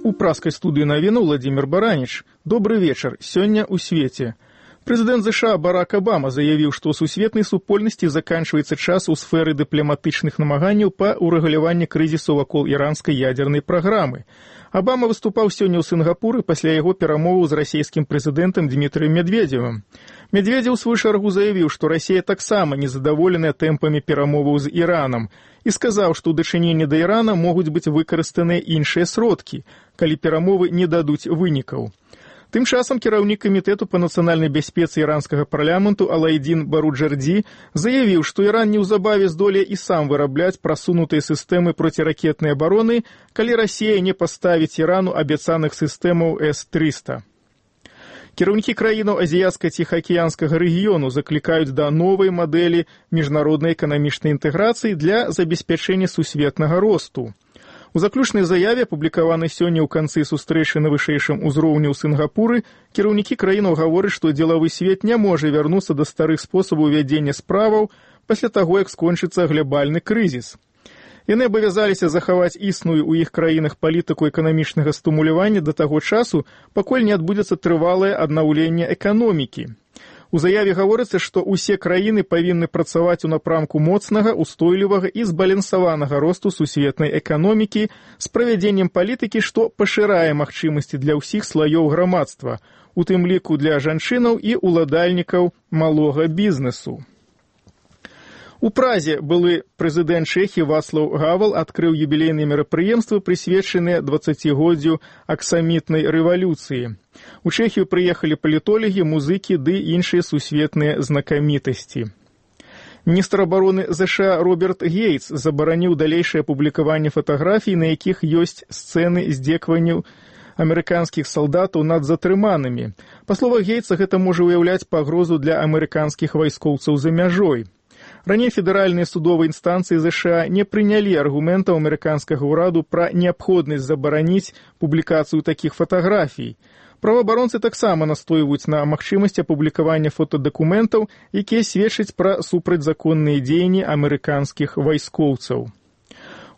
У праскай студыі навіну Владимир Бараніч. Добры вечар. Сёння ў свеце. Прэзідэнт ЗША Барак Обама заявіў, што ў сусветнай супольнасці заканчваецца час у сферы дыпламатычных намаганняў па ўрэгуляванні крызісу вакол іранскай ядзернай праграмы. Обама выступаў сёння ў Сінгапуры пасля яго перамоваў з расійскім прэзідэнтам Дмітрыем Медведзевым. Медведзеў у сваю чаргу заявіў, што Расія таксама незадаволеная тэмпамі перамоваў з Іранам і сказаў, што ў дачыненні да Ірана могуць быць выкарыстаныя іншыя сродкі, калі перамовы не дадуць вынікаў. Тым часам кіраўнік камітэту па нацыянальнай бяспецы іранскага парламенту Алайдзін Баруджардзі заявіў, што Іран неўзабаве здолее і сам вырабляць прасунутыя сістэмы проціракетнай абароны, калі Расія не паставіць Ірану абяцаных сістэмаў С-300. Кіраўнікі краінаў азіяцка-ціхаакіянскага рэгіёну заклікаюць да новай мадэлі міжнароднай эканамічнай інтэграцыі для забеспячэння сусветнага росту. У заключнай заяве, апублікаванай сёння ў канцы сустрэчы на вышэйшым узроўні ў Сінгапуры, кіраўнікі краінаў гавораць, што дзелавы свет не можа вярнуцца да старых спосабаў вядзення справаў пасля таго, як скончыцца глобальны крызіс. Яны абавязаліся захаваць існую ў іх краінах палітыку эканамічнага стымулявання да таго часу, пакуль не адбудзецца трывалае аднаўленне эканомікі. У заяве гаворыцца, што ўсе краіны павінны працаваць у напрамку моцнага, устойлівага і збалансаванага росту сусветнай эканомікі з правядзеннем палітыкі, што пашырае магчымасці для ўсіх слаёў грамадства, у тым ліку для жанчынаў і ўладальнікаў малога бізнесу. У Празе былы прэзідэнт Чэхіі Вацлаў Гавал адкрыў юбілейныя мерапрыемствы, прысвечаныя 20годдзю аксамітнай рэвалюцыі. У Чэхію прыехалі палітолагі, музыкі ды іншыя сусветныя знакамітасці. Міністр абароны ЗША Роберт Гейтс забараніў далейшае публікаванне фатаграфій, на якіх ёсць сцэны здзекаванняў амерыканскіх салдатаў над затрыманымі. Па словах Гейтса, гэта можа ўяўляць пагрозу для амерыканскіх вайскоўцаў за мяжой. Раней федэральныя судовыя інстанцыі ЗША не прынялі аргументаў амерыканскага ўраду пра неабходнасць забараніць публікацыю такіх фатаграфій. Праваабаронцы таксама настойваюць на магчымасці апублікавання фотадакументаў, якія сведчаць пра супрацьзаконныя дзеянні амерыканскіх вайскоўцаў.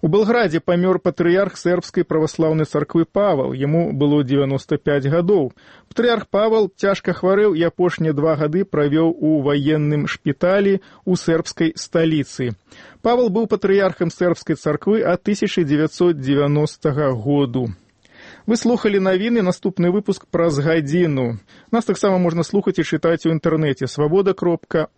У Белградзе памёр патрыярх сербскай праваслаўнай царквы Павал, яму было 95 гадоў. Патрыярх Павал цяжка хварэў і апошнія 2 гады правёў у ваенным шпіталі ў сербскай сталіцы. Павал быў патрыярхам сербскай царквы ад 1990 году. Вы слухалі навіны, наступны выпуск праз гадзіну. Нас таксама можна слухаць і чытаць у інтэрнэце свабода.орг.